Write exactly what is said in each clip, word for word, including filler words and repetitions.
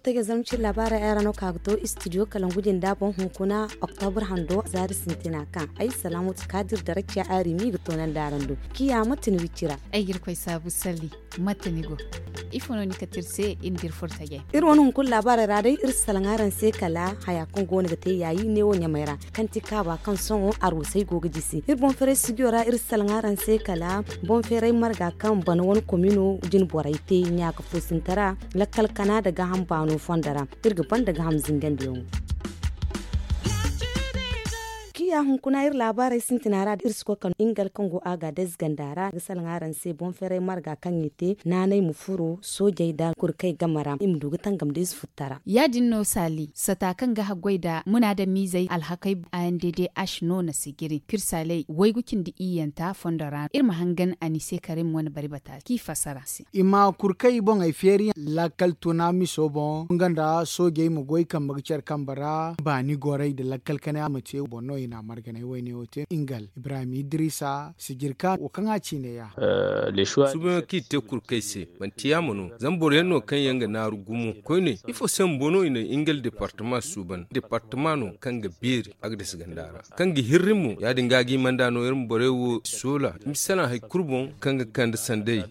Taga zamcin labaarey ay ra no ka ga to istidiyo kalangu jinda boŋ hunkuna, oktobur hando zaari sintina kaŋ ay salaamatu kaadir da rakiya aarimi ga toonandi araŋ do. Kiya mate ni wicci ra? Ay ga iri koy saabu salli. Mate ni go? Ifo no ni kate iri se iri ma di iri furo tajey? Iri wane hunkuna laabaarey ra day iri si salaŋ araŋ se kala haya kaŋ go no ga te yaayi neewo ɲamey ra, kaŋ ti kaaba kaŋ sohõ arwasey go ga jisi. Iri boŋ feeray sidiyo ra iri si salaŋ araŋ se kala boŋ feeray marga kaŋ bana wane komino jine borey te ɲaaka fo sinta ra, lakkal kana nda gaaham baano fondo ra. Iri ga banda gaaham zingandiyaŋo. Kiya hunkuna iri laabaarey sintina ra iri si koy kala ingal kaŋ go a ga day ziganda ra ga salaŋ araŋ se boŋ feeray marga kaŋ i te naanay ma furo soojey nda kurkey game ra i ma du ga tangam da ize futtara. Ya- din no saali sata kaŋ ga haggoy nda munaadamiizey alhakey a n d d h no na sijiri kirsaaley waygu cindi iyyanta fondo ra iri ma hangan a ni se karim wane bari bata k'i fassara se. I ma kurkey boŋey feeriyaŋ lakkal tuna miso boŋ nga nda soojey ma goy kambe ga care kambe ra baani gorey nda lakkal kanay a ma te boŋ no i na a marganay wayne wo te ingal ibrahim idrisa sijirka wo kaŋ a ciine ya. Suuban kaŋ i te kurkey se manti yaama no zama boro yaŋ no kaŋ yaŋ ga naaru gumo koyne ifo se bumbo no i na ingal departama suuban departama no kaŋ ga beeri a ga dasa ganda ra kaŋ ga hirri mo ya- din ga a ga i manda no iri ma borey wo soola i ma salaŋ hari kulu boŋ kaŋ ga kande sanday.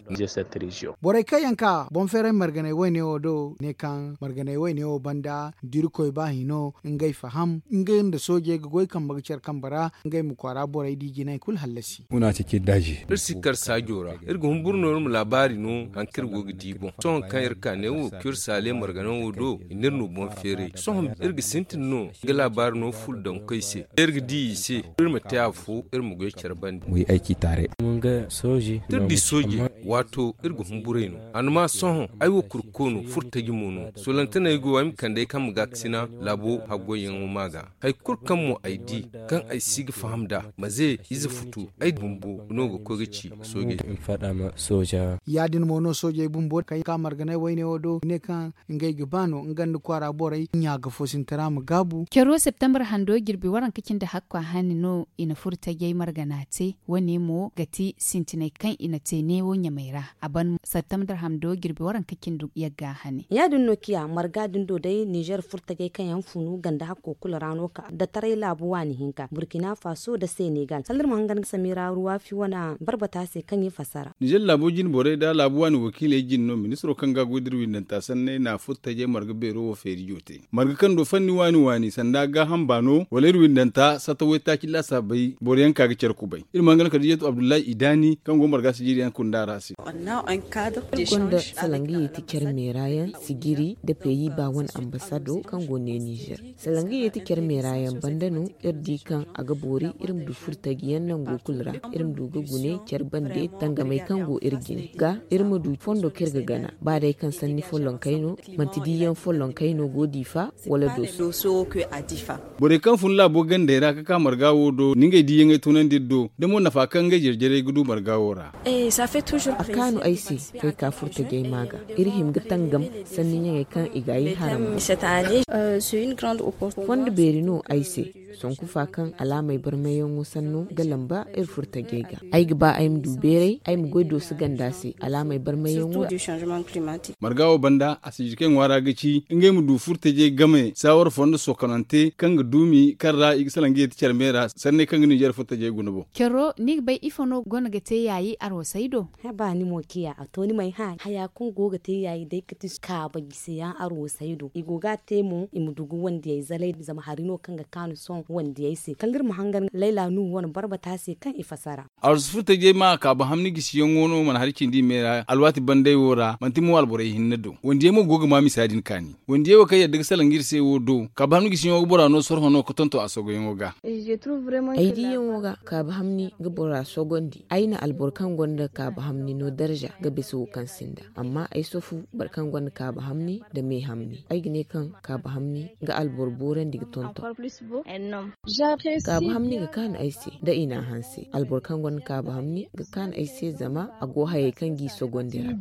Borey kaŋ yaŋ ka boŋ feeray marganay wayne wo do ne kaŋ marganay wayne wo banda da irkoy ba hino ngey faham ngey nda soojey ga goy kambe ga care kambe ra ngey ma kwaara borey di jinay kulu hallasi. Iri si kar saajo ra iri ga humburu no iri ma laabaari no hari kaŋ iri go ga di boŋ sohõ kaŋ iri ka ne wo kaŋ iri saale marganaŋ wo do i na iri no boŋ feeray sohõ iri ga sintin no ga laabaari no ful daŋ koy se iri ga di i se iri ma te afo iri ma goy care bande. Iri di sooje waato iri ga humburay no a na ma sohõ ay wo kurko no furtaji mo no solontaney go ay ma kande ay kaŋ ma gaakasina laabo haggoyyaŋo ma ga hari kulu kaŋ mo ay di kaŋ ay si ga faham nd'a maze ize futu ay bumbo no ga koy ga ci soojey. Ya- din mo no soojey bumbo kaŋ ka marganay wayne wo do ne kaŋ ngey ga ba no nga nda kwaara borey ɲa ga fo sintina ma gaabu. Caro septembre hando jirbi waranka cindi hakku a hani no i na furo tajey margana te wane mo ga ti sintinay kaŋ i na te neewo ɲamey ra a ban septembre hando jirbi waranka cindi yagga hane. Ya- din no kiya marga din do day nizer furo tajey kaŋ yaŋ funu ganda hakko kulu ra no ka da taray laabu waani hinka burkina faso da senegal salla iri ma hangan ga samira ruwafi wane barbata se kaŋ i fassara. Nizer laabo jine borey da laabu waani wakiiley jine no ministiro kaŋ ga a goy da iri windanta sanney na furo tajey marga beero wo feeri joote marga kaŋ do fanni waani waani sanda gaaham baano wala iri windanta satta waytaaci laasaabey boro yaŋ ka ga care kubay iri ma hangan kadijatu abdullahi idaani kaŋ go marga sijiriyaŋ kunda ra se. Iri gonda salangiyey ti care meera yaŋ sijiri nda peyi ba wane ambasado kaŋ go ne nizer salangiyey ti care meera yaŋ banda no iri di kaŋ a ga boori iri ma du furtaji yaŋ nango kulu ra iri ma du ga gune care bande tangamey kaŋ go iri jine ga iri ma du fondo kaŋ iri ga gana ba day kaŋ sanni follonkey no manti diyaŋ follonkey no go difa wala dooso. Borey kaŋ fun laabo gandey ra ka ka marga wo do na ngey diyaŋey tunandi iri do da mo nafa kaŋ ngey jare-jarey ga du marga wo ra. A kaanu ay se fay ka furtajey ma ga iri hima ga tangam sanni ɲaŋey kaŋ i ga ay haram. Fondo beeri no ay se sonku fa kaŋ alaamey barmayyaŋo sanno ga lamba iri furtajey ga ay ga ba ay ma du beeray ay ma goy dooso ganda se alaamey barmayyaŋo ra. Marga wo banda a si jirkey ŋwaara ga ci ngey ma du furtajey game saawar fondo sokonante kaŋ ga duumi kaŋ ra i ga salaŋ ga yeti care me ra sanney kaŋ ga ninzeer furtajey guna boŋ. Caro ni ga bay ifo no go no ga te yaayi arwasey do? Haba ni mo ciya a to ni m'ay hã haya kaŋ go ga te yaayi day ga ti kaaba gisiyaŋ arwasey do i go ga a te mo i ma du ga wandiyey zalay zama hari no kaŋ ga kaanu sohõ wandiyey se kala iri ma hangan layla nuhu wane barbata se kaŋ i fasara. Arwasu furtajey ma kaaba hamni gisiyaŋo no mana hari cindi i me ra alwaati bandey wo ra manti mo alborey hinne do wandiyey mo go ga ma misa din kaani. Wandiyey wo kaŋ yadda ga salaŋ ga iri se wo do kaaba hamni gisiyaŋo ga bora no sorho no ga tonton a sogoyaŋo ga. Ay diyaŋo ga kaaba hamni ga bora sogondi ay na alboro kaŋ gonda kaaba hamni no darza ga bisa wo kaŋ sinda amma ay sofu boro kaŋ gonda kaaba hamni nda me hamni ay ga ne kaŋ kaaba hamni ga alboro boorandi ga tonton. Kaabu hamni ga kaanu ay se da i n'a hanse alboro kaŋ gonda kaabu hamni ga kaanu ay se zama a go hayey kaŋ g'i sogondi ra.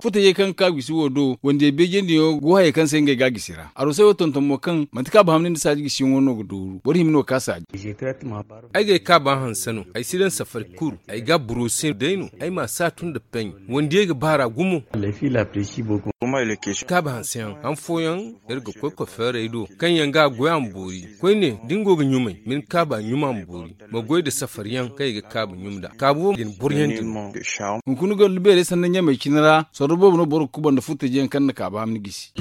Futayey kaŋ ga ka gisi wo do wandiyey beejandiyaŋo go hayey kaŋ se ngey ga a gisi ra arosey wo tonton mo kaŋ manti kaabu hamni nda saaji gisiyaŋo no ga dooru boro hima no ga ka saaji. Ay g'ay kaaba hanse no ay si daŋ safari kulu ay ga a buroose day no ay m'a saatu nda peñ. Wandiyey ga baar'a gumo. Kaabu hanseyaŋ han fooyaŋ, iri ga koy kofeerey do kaŋ yaŋ ga a goy a ma boori. Koyne da ni go ga ɲumay ma ni kaabu a ɲum a ma boori. Ma goy nda safari yaŋ kaŋ i ga kaabu ɲum nd'a kaabu wo ga ni boriyandi no. Hunkuna ga lubbeerey sanda ɲamey cine ra sorro boobo no boro ga kuba nda furtaje yaŋ kaŋ na kaabu ham ni gisi.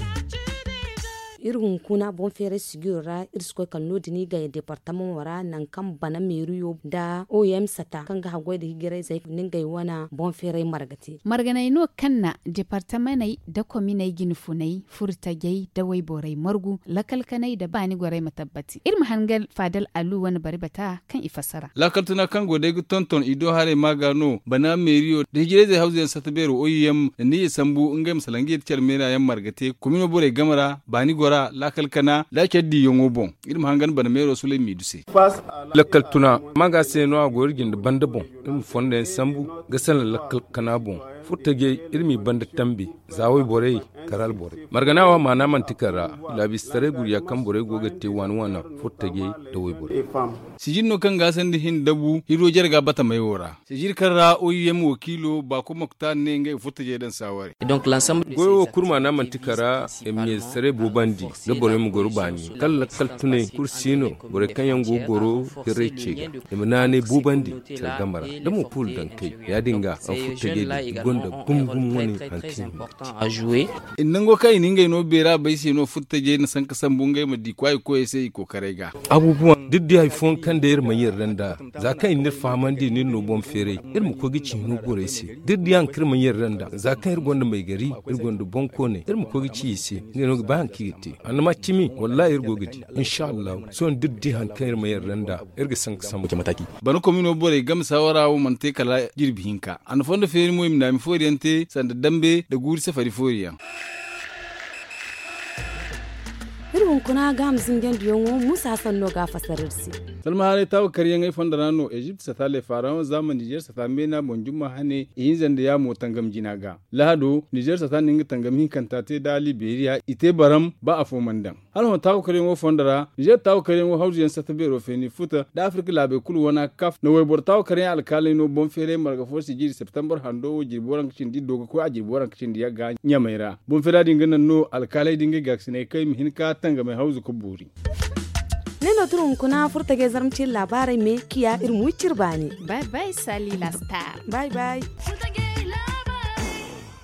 Iri hunkuna boŋ feeray sijiro ra iri si koy kala no- din i gay deepartamaŋo ra nangu kaŋ bana meeriyo nda o m sata kaŋ ga haggoy nda hijirayzey ni ngey wane boŋ feeray marga te. Marganey no kaŋ na deepartamaney nda kominey jine funey furtajey nda wayborey margu lakkal kanay nda baani gorey ma tabbati iri ma hangan faadal alu wane bari bata kaŋ i fassara. Laakal tuna kaŋ go day ga tonton i do haray maaga no bana meeriyo nda hijirayzey hawzu yaŋ sata beero o m nda ni ye sambu ngey ma salaŋ ga ye da care meera yaŋ marga te komino borey game ra baani gora laakal kana nda care diiyaŋo boŋ. Iri ma hangan bana meero sulay miidu se. Lakkal tuna maaga se no a go iri jinde banda boŋ. Iri ma fondo yaŋ sambu ga salaŋ lakkal kana boŋ. Furtajey iri m'i banda tambi za wayborey kala alborey margana wo maana manti kar ra. Laabistaray gurya kaŋ borey go ga te waani waana furtajey nda wayborey. Sijir no kaŋ ga a sanda hin dabu hiro jarga batamey wo ra. Sijir kaŋ ra o m wakiilo baako moktar ne ngey ga furtajey daŋ saaware. Goyo wo kulu maana manti kar ra. Iri ma ɲayze saray boobandi nda borey ma goro baani kala lakkal tunay kulu si no. Borey kaŋ yaŋ go ga goro hirray ce ga i ma naanay boobandi care game ra da mo pool dankey. Ya- din ga a furtajey din i gonda gum gum wane hari kaŋ i ma te. Nango kaŋ i na ngey no beera bay se no furtajey na sanka sambu ngey ma di kwaayi koyey se i kookaray ga. Abubuwan da iri di hari fooyaŋ kaŋ day iri mana yarda nd'a za kaŋ i na iri fahamandi no iri no boŋ feeray. Iri ma koy ga ci hino gorey se da iri di hari kaŋ iri mana yarda nd'a za kaŋ iri gonda maygari iri gonda boŋkooney iri ma koy ga ci i se ngey no ga bay hari kaŋ i ga te. Annama cimi wallaahi iri go ga di. Insa allahu sohõ da iri di hari kaŋ iri mana yarda nd'a iri ga sanka sambu. Bana komino borey game saawara wo mana te kala jirbi hinka a na fondo feeri mo i ma naami foori yaŋ te sanda dambe nda guuri safari foori yaŋ. Iri hunkuna ga a ma zinjandiyaŋo muusa hasan no ga a fasar iri se. Salma haaray taawa karyaŋey fondo ra no ezipt sata le faraon zaama nizer sata meena boŋ jumma hane ihinza nda yaamo tangam jina ga. Lahado nizer sata na nga tangam hinkanta te nda liberiya i te baram ba afo mana daŋ. Hala hõ taawa karyaŋo fondo ra nizer taawa karyaŋo hawzuyaŋ sata beero feeni futa nda afirka laabey kulu wana kaf na wayboro taawa karyaŋ alkaaley no boŋ feeray marga fo si jiiri septembar hando wo jirbi waranka cindi do ga koy a jirbi waranka cindi yagga ɲamey ra. Boŋ feera din ga naŋ no alkaaley din ga i gaakasinay kaŋ i ma hin ka tangamey hawzu ga boori. Ne no tira hunkuna furtajey zarma ciiri laabaarey me kiya iri ma wi cire baani. Bay bay sali la star. Bay bay.